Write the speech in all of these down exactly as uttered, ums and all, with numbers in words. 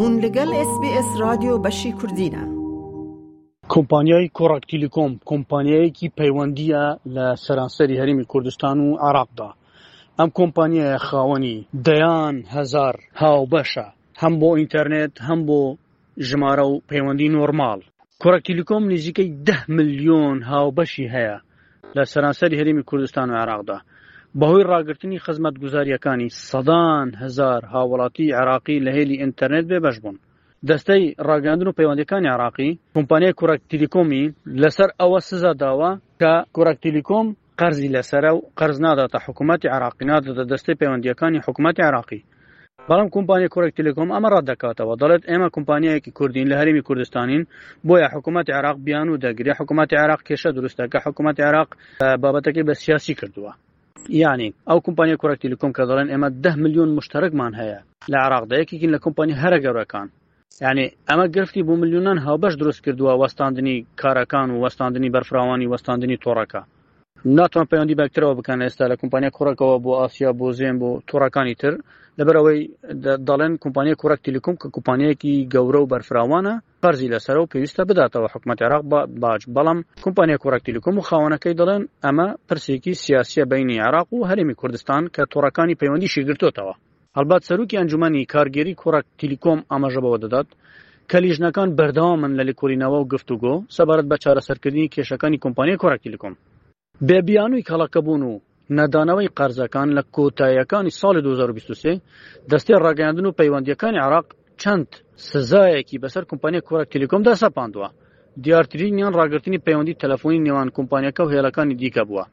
Hûn li gel S B S Radyo beşî Kurdî ne. کۆمپانیای کۆڕەک تیلیکۆم کۆمپانیایەکی پەیوەندییە لە سەرانسەری هەرێمی کوردستان و عێراقدا. ئەم کۆمپانیایە خاوەنی دەیان هەزار هاوبەشە، هەم بۆ ئینتەرنێت هەم بۆ ژمارە و پەیوەندی نۆرماڵ. کۆڕەک تیلیکۆم نزیکەی دە ملیۆن هاوبەشی هەیە لە سەرانسەری هەرێمی کوردستان و عێراقدا. بەهۆی ڕاگرتنی خزمەتگوزارییەکانی سەدان هەزار هاوڵاتی عێراقی لە هێلی ئینتەرنێت بێبەش بوون. دەستەی ڕاگەیاندن و پەیوەندییەکانی عێراقی کۆمپانیای کۆڕەک تیلیکۆمی لەسەر ئەوە سزا داوە کە کۆڕەک تیلیکۆم قەرزی لەسەرە و قەرز ناداتە حکوومەتی عێراقی، ناداتە دەستەی پەیوەندییەکانی حکوومەتی عێراقی. بەڵام کۆمپانیای کۆڕەک تیلیکۆم ئەمە ڕەت دەکاتەوە، دەڵێت ئێمە کۆمپانیایەکی کوردین، لە هەرێمی کوردستانین، بۆیە حکوومەتی عێراق بیانوو دەگرێ، حکوومەتی عێراق کێشە دروست دەکا، حکوومەتی عێراق بابەتەکەی بە سیاسی کردووە. یعنی ئەو کۆمپانیای کۆڕەک تیلیکۆم کە دەڵێن ئێمە دە ملیۆن مشتەرەکمان هەیە لە عێراقدا، یەکێکین لە کۆمپانیا هەرە گەورەکان. یعنی ئەمە گرفتی بۆ ملیۆنان هاوبەش دروست کردووە، وەستاندنی کارەکان و وەستاندنی بەرفراوانی، وەستاندنی تۆڕەکە. ناتوان پەیوەندی بەکترەوە بکەن ئێستا لە کۆمپانیای کۆڕەکەوە بۆ ئاسیا، بۆ زێن، بۆ تۆڕەکانی تر، لەبەرئەوەی دەڵێن کۆمپانیای کۆڕەک تیلیکۆم کە کۆمپانیایەکی گەورە و بەرفراوانە قەرزی لەسەرە و پێویستە بداتەوە حکوومەت عێراق باج. بەڵام کۆمپانیای کۆڕەک تیلیکۆم و خاوەنەکەی دەڵێن ئەمە پرسێکی سیاسیە بینی عێراق و هەرێمی کوردستان کە تۆڕەکانی پەیوەندیشی گرتوتەوە. هەڵبەت سەرۆکی ئەنجومەنی کارگێری کۆڕەک تیلیکۆم ئاماژە بەوە دەدات کە لیژنەکان بەردەوامن لە لێکۆڵینەوە و گفتوگۆ سەبارەت بە چارەسەرکردنی کێشەکانی کۆمپانیای کۆڕەک تیلیکۆم. بێ بیانووی کەڵەکەبوون و نەدانەوەی قەرزەکان لە کۆتاییەکانی ساڵی دوو هەزار و بیست و سێ دەستەی ڕاگەیاندن و پەیوەندییەکانی عێراق چەند سزایەکی بەسەر کۆمپانیای کۆڕەک تیلیکۆمدا سەپاندووە. دیارترینیان ڕاگرتنی پەیوەندی تەلەفۆنی نێوان کۆمپانیاکە و هێڵەکانی دیکە بووە.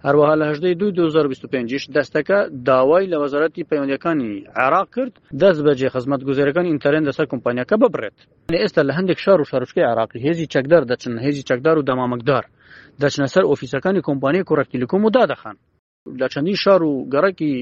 هەروەها لە هەژدەی دووی دوو هەزار و بیست و پێنج دەستەکە داوای لە وەزارەتی پەیوەندیەکانی عێراق کرد دەست بەجێ خزمەتگوزاریەکانی ئینتەرنێت لەسەر کۆمپانیاکە ببڕێت. ئێستا لە هەندێک شار و شارۆچکەی عێراقی هێزی چەکدار دەچن، هێزی چەکدار و دەمامکدار دەچنە سەر ئۆفیسەکانی کۆمپانیای کۆڕەک تیلیکۆم و دادەخەن. لە چەندین شار و گەڕەکی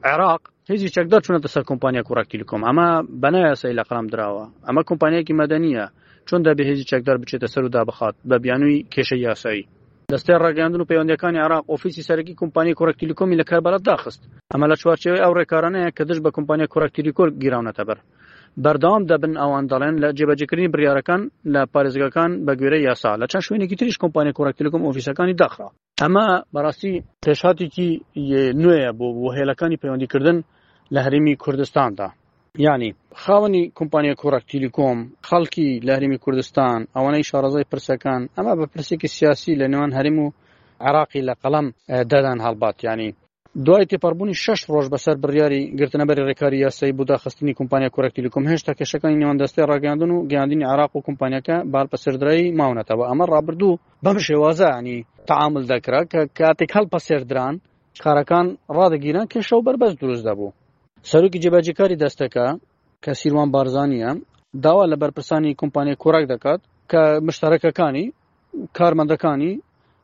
عێراق هێزی چەکدار چوونەتە سەر کۆمپانیای کۆڕەک تیلیکۆم. ئەمە بەنایاسایی لە قەڵەم دراوە، ئەمە کۆمپانیایەکی مەدەنیە، چۆن دەبێ هێزی چەکدار بچێتە سەر و دابخات بە بیانووی کێشەی یاسایی؟ دەستەی ڕاگەیاندن و پەیوەندیەکانی عێراق ئۆفیسی سەرەکی کۆمپانیای کۆڕەک تیلیکۆمی لە کەربەلا داخست. ئەمە لە چوارچێوەی ئەو ڕێکارانەیە کە دژ بە کۆمپانیای کۆڕەک تیلیکۆم گیراونەتە بەر. بەردەوام دەبن ئەوان دەڵێن لە جێبەجێکردنی بڕیارەکان لە پارێزگاکان بە گوێرەی یاسا. لە چەند شوێنێکی تریش کۆمپانیای کۆڕەک تیلیکۆم ئۆفیسەکانی داخرا. ئەمە بەڕاستی پێشهاتێکی نوێیە بۆ بۆ هێلەکانی پەیوەندیکردن لە هەرێمی کوردستاندا. یعنی خاوەنی کۆمپانیای کۆڕەک تیلیکۆم، خەڵکی لە هەرێمی کوردستان، ئەوانەی شارەزای پرسەکان، ئەمە بە پرسێکی سیاسی لە نێوان هەرێم و عێراقی لە قەڵەم دەدەن. هەڵبەت یعنی دوای تێپەڕبوونی شەش ڕۆژ بەسەر بڕیاری گرتنەبەری ڕێکاری یاسایی بۆ داخستنی کۆمپانیای کۆڕەک تیلیکۆم، هێشتا کێشەکانی نێوان دەستەی ڕاگەیاندن و گەیاندنی عێراق و کۆمپانیاکە بە هەڵپەسێردرایی ماونەتەوە. ئەمە ڕابردوو بەم شێوازە ینی تەعامل دەکرا کە کاتێک هەڵپەسێردران کارەکان ڕادەگیران، کێشە و بەربەست دروست دەبوو. سەرۆکی جێبەجێکاری دەستەکە کە سیروان بارزانیە داوا لە بەرپرسانی کۆمپانیای کۆڕەک دەکات کە مشتەرەکەکانی، کارمەندەکانی،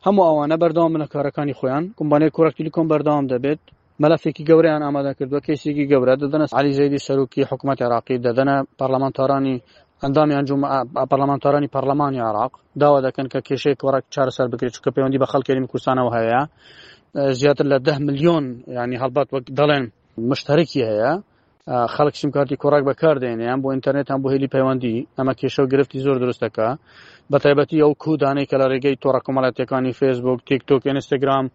هەموو ئەوانە بەردەوام بن لە کارەکانی خۆیان. کۆمپانیای کۆڕەک تیلیکۆم بەردەوام دەبێت. مەلەفێکی گەورەیان ئامادە کردووە، کەیسێکی گەورە دەدەنە عەلی زەیدی سەرۆکی حکوومەت عێراقی، دەدەنە پەرلەمانتارانی ئەندامی ئەنجوم پەرلەمانتارانی پەرلەمانی عێراق، داوا دەکەن کە کێشەی کۆڕەک چارەسەر بکرێت، چونکە پەیوەندی بە خەڵکی هەرێمی کوردستانەوە هەیە. زیاتر لە دە ملیۆن ینی هەڵبەت وەک دەڵێن مشتەرەکی هەیە، خەڵک سیمکارتی کۆڕەک بەکاردێنێ یان بۆ ئینتەرنێت یان بۆ هێلی پەیوەندی. ئەمە کێشە و گرفتی زۆر دروست دەکا، بە تایبەتی ئەو کودانەی کە لە ڕێگەی تۆڕە کۆمەڵایەتیەکانی فێسبوک، تیک تۆک، ئینستاگرام،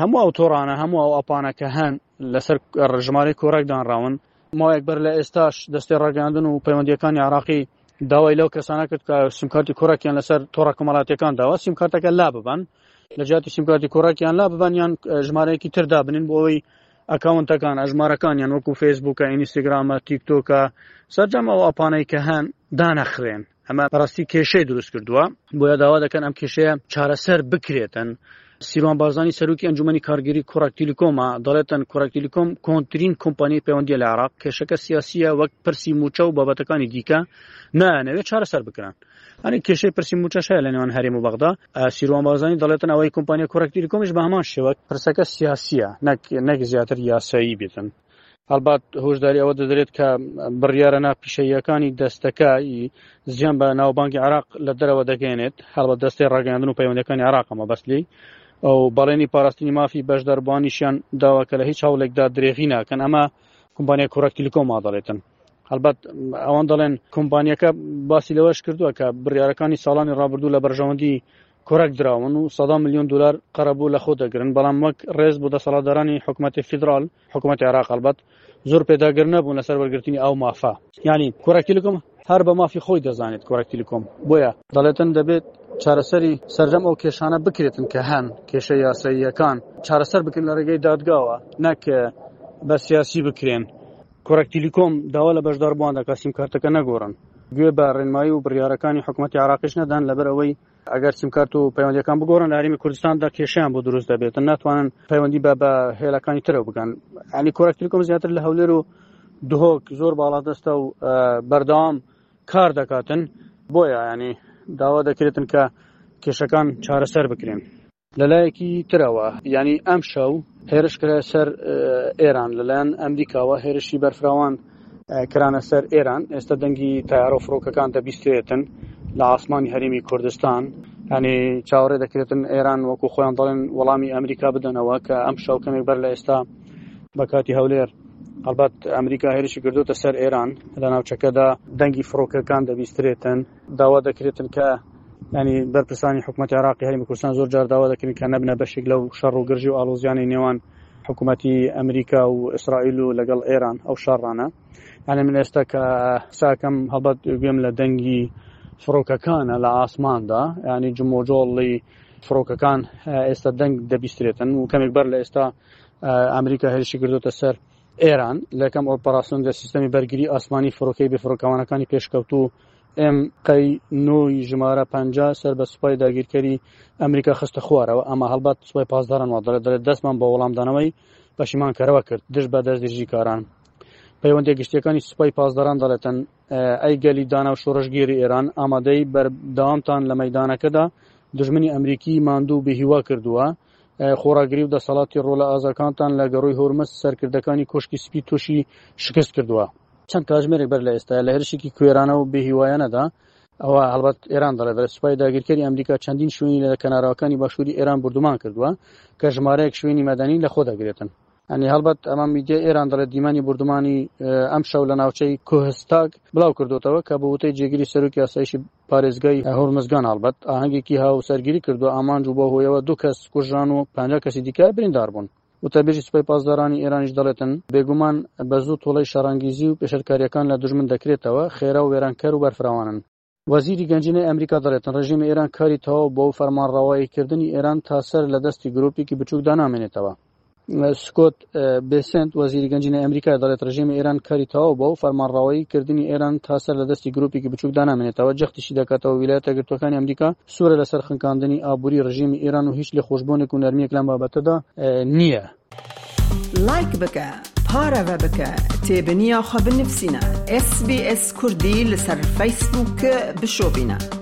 هەموو ئەو تۆڕانە، هەموو ئەو ئەپانە کە هەن لەسەر ژمارەی کۆڕەک دانراون. ماوەیەک بەر لە ئێستاش دەستەی ڕاگەیاندن و پەیوەندیەکانی عێراقی داوای لەو کەسانە کرد کە سیمکارتی کۆڕەکیان لەسەر تۆڕە کۆمەڵایەتیەکان داوە سیمکارتەکە لا ببەن، لە جیاتی سیمکارتی کۆڕەکیان لا ببەن یان ژمارەیەکی تر دابنن بۆ ئەوەی ئەکاونتەکان، ئەژمارەکانیان وەکو فەیسبوکە، ئینستاگرامە، تیکتۆکە، سەرجەم ئەو ئەپانەی کە هەن دانەخرێن. ئەمە بەڕاستی کێشەی دروست کردووە، بۆیە داوا دەکەن ئەم کێشەیە چارەسەر بکرێتن. سیروان بارزانی سەرۆکی ئەنجومەنی کارگێری کۆڕەک تیلیکۆمە دەڵێتن کۆڕەک تیلیکۆم کۆنترین کۆمپانیای پەیوەندیە لە عێراق، کێشەکە سیاسیە وەک پرسی موچە و بابەتەکانی دیکە نایانەوێت چارەسەر بکرن. هەنێک کێشەی پرسی موچەش هەیە لە نێوان هەرێم و بەغدا. سیروان بارزانی دەڵێتن ئەوەی کۆمپانیای کۆڕەک تیلیکۆمیش بە هەمان شێوە پرسەکە سیاسیە، نەک نەک زیاتر یاسایی بێتن. هەڵبەت هۆشداری ئەوە دەدرێت کە بڕیارە ناپیشەییەکانی دەستەکە زیان بە ناوبانگی عێراق لە دەرەوە دەگەیەنێت. هەڵبەت دەستەی ڕاگەیاندن و پەیوەندیەکانی عێراق ئەمە بەس لێی ئەو بەڵێنی پاراستنی مافی بەشداربووانیشیان داوا کە لە هیچ هەوڵێکدا درێغی ناکەن. ئەمە کۆمپانیای کۆڕەک تیلیکۆم دەڵێتن. هەڵبەت ئەوان دەڵێن کۆمپانیەکە باسی لەوەش کردووە کە بڕیارەکانی ساڵانی ڕابردوو لە بەرژەوەندی کۆرەک دراون و سەدا ملیۆن دلار قەرەبوو لە خۆ دەگرن، بەڵام وەک ڕێز بۆ دەسەڵاتدارانی حکوومەتی فیدرال، حکوومەتی عێراق هەڵبەت زۆر پێداگر نەبوون لەسەر وەرگرتنی ئەو مافە. یعنی کۆرەک تیلیکۆم هەر بە مافی خۆی دەزانێت کۆرەک تیلیکۆم، بۆیە دەڵێتن دەبێت چارەسەری سەرجەم ئەو کێشانە بکرێتن کە هەن، کێشە یاساییەکان چارەسەر بکرێن لە ڕێگەی دادگاوە، نەک بە سیاسی بکرێن. کۆرەک تیلیکۆم داوا لە بەشداربووان دەکات سیم کارتەکە نەگۆڕن، گوێ بە ڕێنمایی و بڕیارەکانی حکوومەتی عێراقیش نەدەن، لەبەر ئەوەی ئەگەر سیمکارت و پەیوەندیەکان بگۆڕن لە هەرێمی کوردستاندا کێشەیان بۆ دروست دەبێتن، ناتوانن پەیوەندی بە بە هێلەکانی ترەوە بکەن. یعنی کۆرەک تیلیکۆم زیاتر لە هەولێر و دهۆک زۆر باڵادەستە و بەردەوام کار دەکاتن، بۆیە ینی داوا دەکرێتن کە کێشەکان چارەسەر بکرێن. لەلایەکی ترەوە یعنی ئەم شەو هێرش کرا سەر ئێران لەلایەن ئەمریکاوە، هێرشی بەرفراوان کرانە سەر ئێران. ئێستا دەنگی تایارە و فڕۆکەکان دەبیسترێتن لە ئاسمانی هەرێمی کوردستان. یعنی چاوەڕێ دەکرێتن ئێران وەکو خۆیان دەڵێن وەڵامی ئەمریکا بدەنەوە کە ئەم شەو کەمێک بەر لە ئێستا بە کاتی هەولێر هەڵبەت ئەمریکا هێرشی کردوتە سەر ئێران. لە ناوچەکەدا دەنگی فڕۆکەکان دەبیسترێتن، داوا دەکرێتن کە ینی بەرپرسانی حکوومەتی عێراقی هەرێمی کوردستان زۆر جار داوا دەکرن کە نەبنە بەشێک لەو شەڕ و گرژی و ئاڵۆزیانی نێوان حکوومەتی ئەمریکا و ئیسرائیل و لەگەڵ ئێران ئەو شەڕانە. یعنی من ئێستا کە قساکەم هەڵبەت گوێم لە دەنگی فڕۆکەکانە لە ئاسماندا، ینی جمۆجۆڵی فڕۆکەکان ئێستا دەنگ دەبیسترێتن و کەمێک بەر لە ئێستا ئەمریکا هێرشی کردوتە سەر ئێران. لەکەم ئۆپەراسیۆن لە سیستەمی بەرگری ئاسمانی فڕۆکەی بێفڕۆکەوانەکانی پێشکەوتوو ئێم قەی نۆی ژمارە پەنجا سەر بە سوپای داگیرکەری ئەمریکا خستە خوارەوە. ئەمە هەڵبەت سوپای پاسداران وا دەڵێت، دەڵێت دەستمان بە وەڵامدانەوەی پەشیمانکەرەوە کرد دژ بە دەستدرێژیکاران. پەیوەندیە گشتیەکانی سوپای پاسداران دەڵێتن ئەی گەلی دانا و شۆڕشگێری ئێران، ئامادەی بەردەوامتان لە مەیدانەکەدا دژمنی ئەمریکی ماندوو بێهیوا کردووە. خۆڕاگری و دەسەڵاتی ڕۆڵە ئازاکانتان لە گەڕۆی هۆرمز سەرکردەکانی کۆشکی سپی تووشی شکست کردووە. چەند کاتژمێرێک بەر لە ئێستا لە هێرشێکی کوێرانە و بێهیوایانەدا، ئەوە هەڵبەت ئێران دەڵێت، دەڵێت سوپای داگیرکەری ئەمریکا چەندین شوێنی لە کەناراوەکانی باشووری ئێران بردومان کردووە کە ژمارەیەک شوێنی مەدەنی لە خۆ دەگرێتن. ینی هەڵبەت ئەمە میدیای ئێران دەڵێت دیمەنی بردومانی ئەم شەو لە ناوچەی کوهستاگ بڵاو کردوتەوە کە بە وتەی جێگیری سەرۆکی ئاسایشی پارێزگای هۆرمزگان هەڵبەت ئاهەنگێکی هاوسەرگیری کردووە ئامانج و بۆ هۆیەوە دوو کەس کوژران و پەنجا کەسی دیکە بریندار بوون. وتەبێژی سوپای پاسدارانی ئێرانیش دەڵێتن بێگومان بە زوو تۆڵەی شەڕانگیزی و پێشلکاریەکان لە دوژمن دەکرێتەوە، خێرا و وێرانکەر و بەرفراوانن. وەزیری گەنجینەی ئەمریکا دەڵێتن ڕژێمی ئێران کاری تەواو بۆ فەرمانڕەواییکردنی ئێران تا سەر لە دەستی گروپێکی بچووکدا نامێنێتەوە. سکۆت بێسنت وەزیری گەنجینەی ئەمریکا دەڵێت ڕژێمی ئێران کاری تەواو بۆ فەرمانڕەواییکردنی ئێران تا سەر لە دەستی گروپێکی بچووکدا نامێنێتەوە. جەختیشی دەکاتەوە ویلایەتە یەکگرتووەکانی ئەمریکا سوورە لەسەر خنکاندنی ئابووری ڕژێمی ئێران و هیچ لێخۆشبوونێک و نەرمییەک لەم بابەتەدا نییە. لایک بکە، پارەوە بکە، تێبنییا خە بنفسینە. ئس بی ئس کوردی لەسەر فەیسبووک بشۆبینە.